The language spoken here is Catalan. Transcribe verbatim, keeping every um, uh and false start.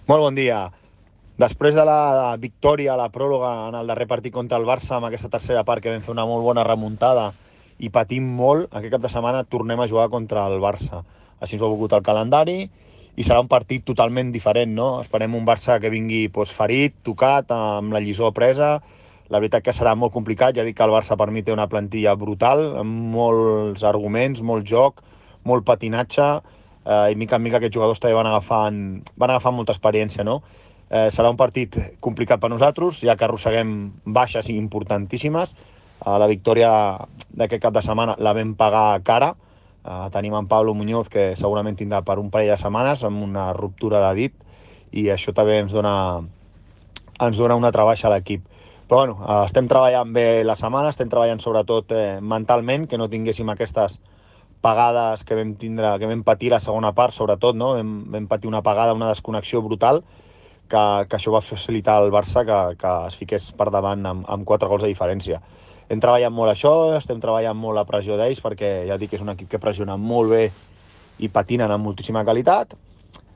Molt bon dia. Després de la victòria a la pròrroga en el darrer partit contra el Barça, amb aquesta tercera part que vam fer una molt bona remuntada i patim molt, aquest cap de setmana tornem a jugar contra el Barça. Així ens ho ha volgut el calendari i serà un partit totalment diferent, no? Esperem un Barça que vingui doncs, ferit, tocat, amb la lliçó presa. La veritat que serà molt complicat, ja dic que el Barça per mi té una plantilla brutal, amb molts arguments, molt joc, molt patinatge, eh, i mica en mica aquests jugadors també van agafant, van agafant molta experiència, no? Eh, serà un partit complicat per nosaltres, ja que arrosseguem baixes importantíssimes. Eh, la victòria d'aquest cap de setmana la vam pagar cara. Eh, tenim en Pablo Muñoz, que segurament tindrà per un parell de setmanes, amb una ruptura de dit, i això també ens dona, ens dona una altra baixa a l'equip. Però bueno, eh, estem treballant bé la setmana, estem treballant sobretot eh, mentalment, que no tinguéssim aquestes pagades que vam tindre, que vam patir la segona part, sobretot, no? Vam, vam patir una pagada, una desconnexió brutal, que, que això va facilitar al Barça que, que es fiqués per davant amb, amb quatre gols de diferència. Hem treballat molt això, estem treballant molt la pressió d'ells, perquè ja dic que és un equip que pressiona molt bé i patinen amb moltíssima qualitat,